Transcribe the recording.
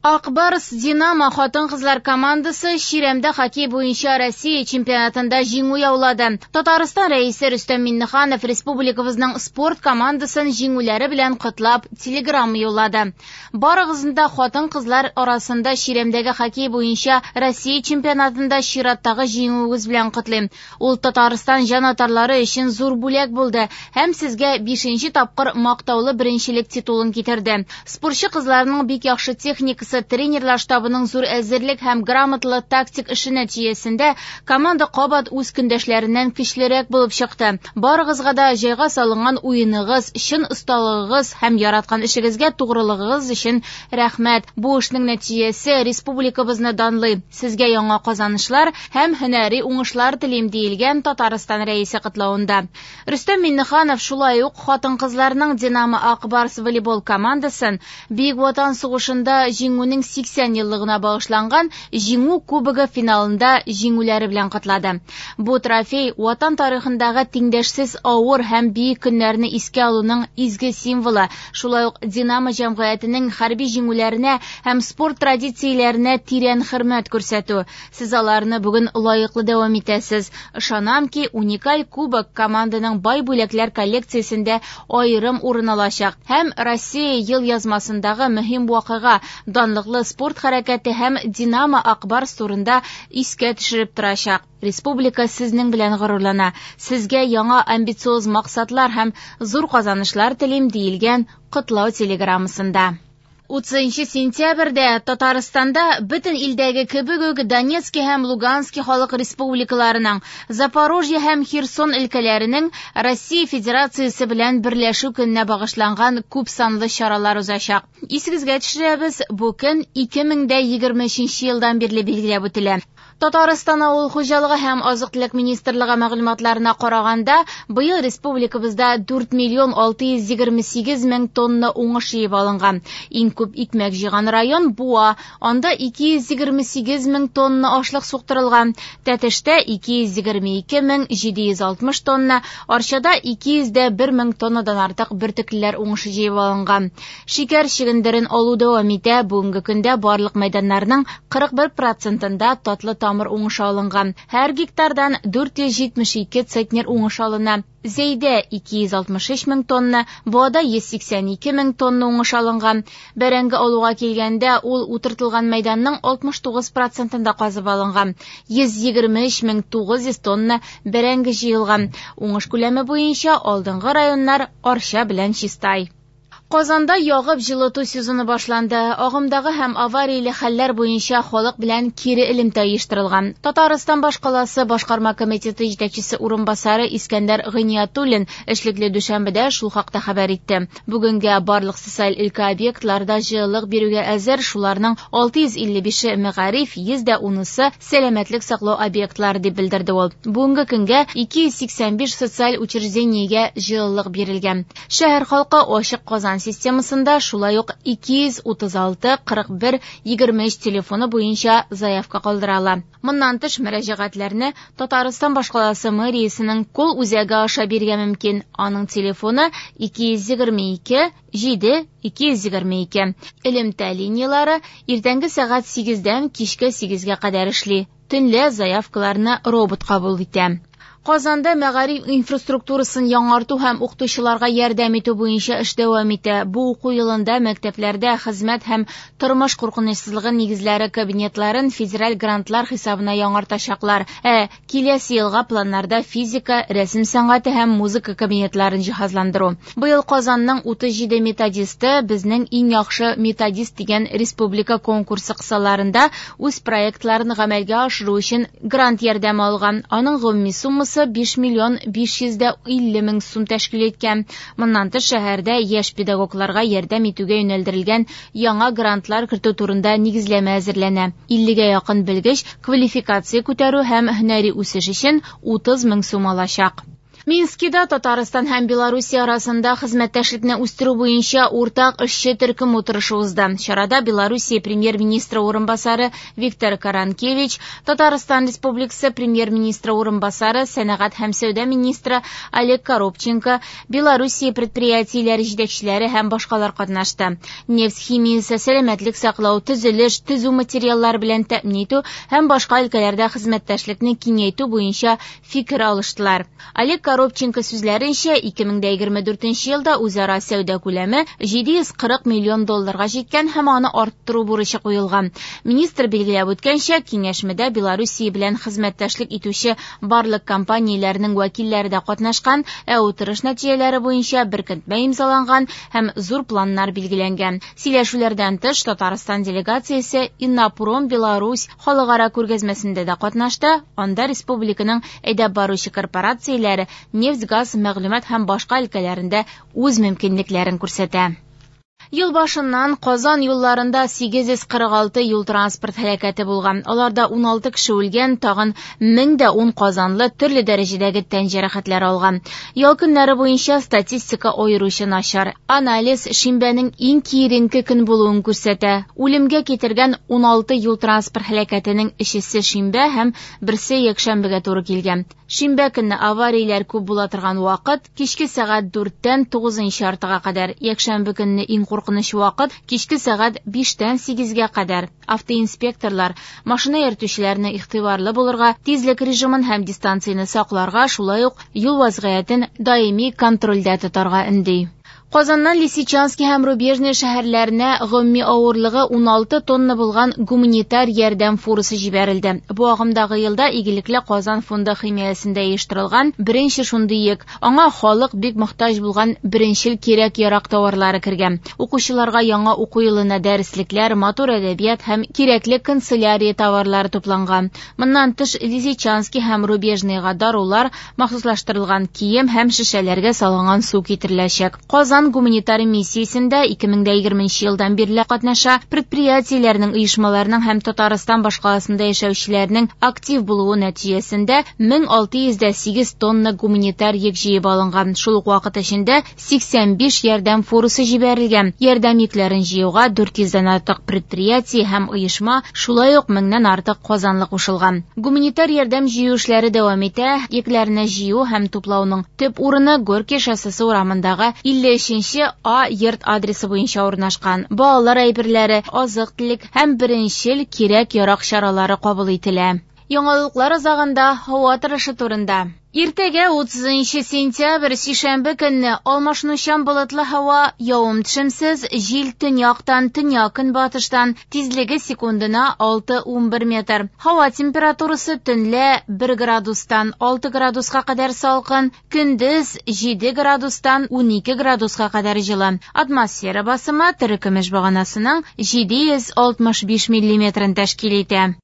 Ак Барс Динамо хатын-кызлар командасы чирәмдә хоккей буенча Россия чемпионатында җиңү яулады. Татарстан Рәисе Рөстәм Миңнеханов республикабызның спорт командасын җиңүләре белән котлап телеграмма юллады. Барыгызны да хатын-кызлар арасында чирәмдәге хоккей буенча Россия чемпионатында чираттагы җиңүегез белән котлыйм. Ул Татарстан җанатарлары өчен зур бүләк булды һәм сезгә 5нче тапкыр мактаулы беренчелек титулын китерде. Спортчы кызларның бик яхшы техникасы, тренерлар штабының зур әзерлек һәм грамоталы тактик эше нәтиҗәсендә команда кабат үз көндәшләреннән көчлерәк булып чыкты. Барыгызга да җайга салынган уеныгыз, чын осталыгыгыз һәм яраткан эшегезгә тугрылыгыгыз өчен рәхмәт. Бу эшнең нәтиҗәсе республикабызны данлый. Сезгә яңа казанышлар һәм һөнәри уңышлар телим, диелгән Татарстан Рәисе котлавында. Рөстәм Миңнеханов шулай ук хатын-кызларның Динамо Ак Барс волейбол командасын Бөек Ватан сугышында җиңүнең 80 еллыгына багышланган Җиңү кубогы финалында җиңүләре белән котлады. Бу трофей Ватан тарихындагы тиңдәшсез авыр һәм бөек көннәрне искә алуның изге символы, шулай ук Динамо җәмгыятенең хәрби җиңүләренә һәм спорт традицияләренә тирән хөрмәт күрсәтү. Сез аларны бүген лаеклы дәвам итәсез. Ышанам ки, уникаль кубок команданың бай бүләкләр коллекциясендә аерым урын алачак һәм Россия ел язмасындагы мөһим вакыйга, данлыклы спорт хәрәкәте һәм Динамо Ак Барс турында искә төшереп торачак. Республика сезнең белән горурлана. Сезгә яңа амбициоз максатлар һәм зур казанышлар телим, диелгән котлау телеграммасында. 30 сентябрьдә Татарстанда бөтен илдәге кебек үк Донецки һәм Лугански халык республикаларының, Запорожье һәм Херсон өлкәләренең Россия Федерациясе белән берләшү көненә багышланган күп санлы чаралар узачак. Исегезгә төшерәбез, бу көн 2023 елдан бирле билгеләп үтелә. Татарстан авыл хуҗалыгы һәм азык-төлек министрлыгы мәгълүматларына караганда, быел республикабызда 4 миллион 628 мең тонна уңыш җыеп алынган. Иң күп икмәк җыйган район Буа, анда 228 мең тонна ашлык суктырылган. Тәтештә 222 мең 760 тонна, Арчада 201 мең тоннадан артык бөртеклеләр уңышы җыеп алынган. Шикәр чөгендерен алу дәвам итә. Бүгенге көндә барлык мәйданнарның 41%-ында татлы тамыр уңышы алынган. Һәр гектардан 472 центнер уңыш алына. Зәйдә 263 мең тонна, Буада 182 мең тонна уңыш алынган. Бәрәңге алуга килгәндә, ул утыртылган мәйданның 69%-ында казып алынган. 123 мең 900 тонна бәрәңге җыелган. Уңыш күләме буенча алдынгы районнар Арча белән Чистай. Казанда ягып җылыту сезоны башланды. Агымдагы һәм аварияле хәлләр буенча халык белән кире элемтә оештырылган. Татарстан башкаласы башкарма комитеты җитәкчесе урынбасары Искәндәр Гыйниятуллин эшлекле дүшәмбедә шул хакта хәбәр итте. Бүгенгә барлык социаль өлкә объектларда җылылык бирүгә әзер, шуларның 655-е мәгариф, 110-сы сәламәтлек саклау объектлары дип белдерде ул. Бүгенге көнгә 285 социаль учреждениегә җылылык бирелгән. Шәһәр халкы ачык Казан системасында шулай ук 236 41 23 телефоны буенча заявка калдыра ала. Моннан тыш мөрәҗәгатьләрне Татарстан башкаласы мэриясенең кол үзәге аша бирергә мөмкин. Аның телефоны 222 7 222. Элемтә линиялары иртәнге сәгать 8-дән кичке 8-гә кадәр эшли. Төнлә заявкаларны робот кабул итә. Казанда мәгариф инфраструктурасын яңарту һәм укытучыларга ярдәм итү буенча эш дәвам итә. Бу уку елында мәктәпләрдә хезмәт һәм тормыш куркынычсызлыгы нигезләре кабинетларын федераль грантлар хисабына яңартачаклар. Ә киләсе елга планнарда физика, рәсем сәнгате һәм музыка кабинетларын җиһазландыру. Быел Казанның 37 методисты безнең иң яхшы методист дигән республика конкурсы кысаларында үз проектларын гамәлгә ашыру өчен грант ярдәме алган. Аның гомуми суммасы 5 миллион 550 мең сум тәшкил иткән. Моннан тыш шәһәрдә яшь педагогларга ярдәм итүгә юнәлдерелгән яңа грантлар кертү турында нигезләмә әзерләнә. 50-гә якын белгеч квалификация күтәрү һәм һөнәри үсеш өчен 30 мең сум алачак. Минскида Татарстан һәм Белоруссия арасында хезмәттәшлекне үстерү буенча уртак эшче төркем утырышы узды. Чарада Белоруссия премьер-министры урынбасары Виктор Каранкевич, Татарстан Республикасы премьер-министры урынбасары, сәнәгать һәм сәүдә министры Олег Коробченко, Белоруссия предприятиеләре җитәкчеләре һәм башкалар катнашты. Нефть химиясе, сәламәтлек саклау, төзелеш, төзү материаллары белән тәэмин итү һәм башка өлкәләрдә хезмәттәшлекне киңәйтү буенча фикер алыштылар. Олег Коробченко сүзләренчә, 2024 елда үзара сәүдә күләме 740 миллион долларга җиткән һәм аны арттыру бурычы куелган. Министр билгеләп үткәнчә, киңәшмәдә Белоруссия белән хезмәттәшлек итүче барлык компанияләрнең вәкилләре дә катнашкан, ә утырыш нәтиҗәләре буенча беркетмә имзаланган һәм зур планнар билгеләнгән. Сөйләшүләрдән тыш, Татарстан делегациясе Иннопром Беларусь халыкара күргәзмәсендә дә катнашты. Анда республиканың әйдәп баручы корпорацияләре нефть-газ, мәгълүмат һәм башка өлкәләрендә үз мөмкинлекләрен күрсәтә. Ел башыннан Казан юлларында 846 юл-транспорт һәлакәте булган. Аларда 16 кеше үлгән, тагын 1010 казанлы төрле дәрәҗәдәге тән җәрәхәтләре алган. Ял көннәре буенча статистика аеруча начар. Анализ шимбәнең иң киеренке көн булуын күрсәтә. Үлемгә китергән 16 юл-транспорт һәлакәтенең өчесе шимбә һәм берсе якшәмбегә туры килгән. Шимбә көнне аварияләр күп була торган вакыт кичке сәгать 4-тән 9:30-га кадәр. Якшәмбе көнне иң куркыныч вакыт кичке сәгать 5-тән 8-гә кадәр. Автоинспекторлар машина йөртүчеләрне игътибарлы булырга, тизлек режимын һәм дистанцияне сакларга, шулай ук юл вазгыятен даими контрольдә тотарга өнди. Казаннан Лисичанский һәм Рубежный шәһәрләренә гомуми авырлыгы 16 тонна булган гуманитар ярдәм фурасы җибәрелде. Бу агымдагы елда Игелекле Казан фонды химаясендә оештырылган беренче шундый йөк. Аңа халык бик мохтаҗ булган беренчел кирәк-ярак товарлары кергән. Укучыларга яңа уку елына дәреслекләр, матур әдәбият һәм кирәкле канцелярия товарлары тупланган. Моннан тыш Лисичанский һәм Рубежныйга дарулар, махсуслаштырылган кием һәм шешәләргә салынган су китереләчәк. Казан гуманитар миссиясендә 2020 елдан бирле катнаша. Предприятиеләрнең, оешмаларның һәм Татарстан башкаласында яшәүчеләрнең актив булуы нәтиҗәсендә 1608 тонна гуманитар йөк җыеп алынган. Шул ук вакыт эчендә 85 ярдәм фурасы җибәрелгән. Ярдәм йөкләрен җыюга 400-дән артык предприятие һәм оешма, шулай ук 1000-нән артык казанлы кушылган. Гуманитар ярдәм җыю эшләре дәвам итә. Йөкләрне җыю һәм туплауның төп урыны Горький шоссесы урамындагы 53 А йорт адресы буенча урнашкан. Балалар әйберләре, азык-төлек һәм беренчел кирәк-ярак чаралары кабул ителә. Яңалыклар азагында һава торышы турында. Иртәгә 30 сентябрь сишәмбе көнне алмашынучан болытлы һава, явым-төшемсез, җил төньяктан, төньяк-көнбатыштан, тизлеге секундына 6-11 метр. Һава температурасы төнлә 1 градустан 6 градуска кадәр салкын, көндез 7 градустан 12 градуска кадәр җылы. Атмосфера басымы терекөмеш баганасының 765 миллиметрын тәшкил итә.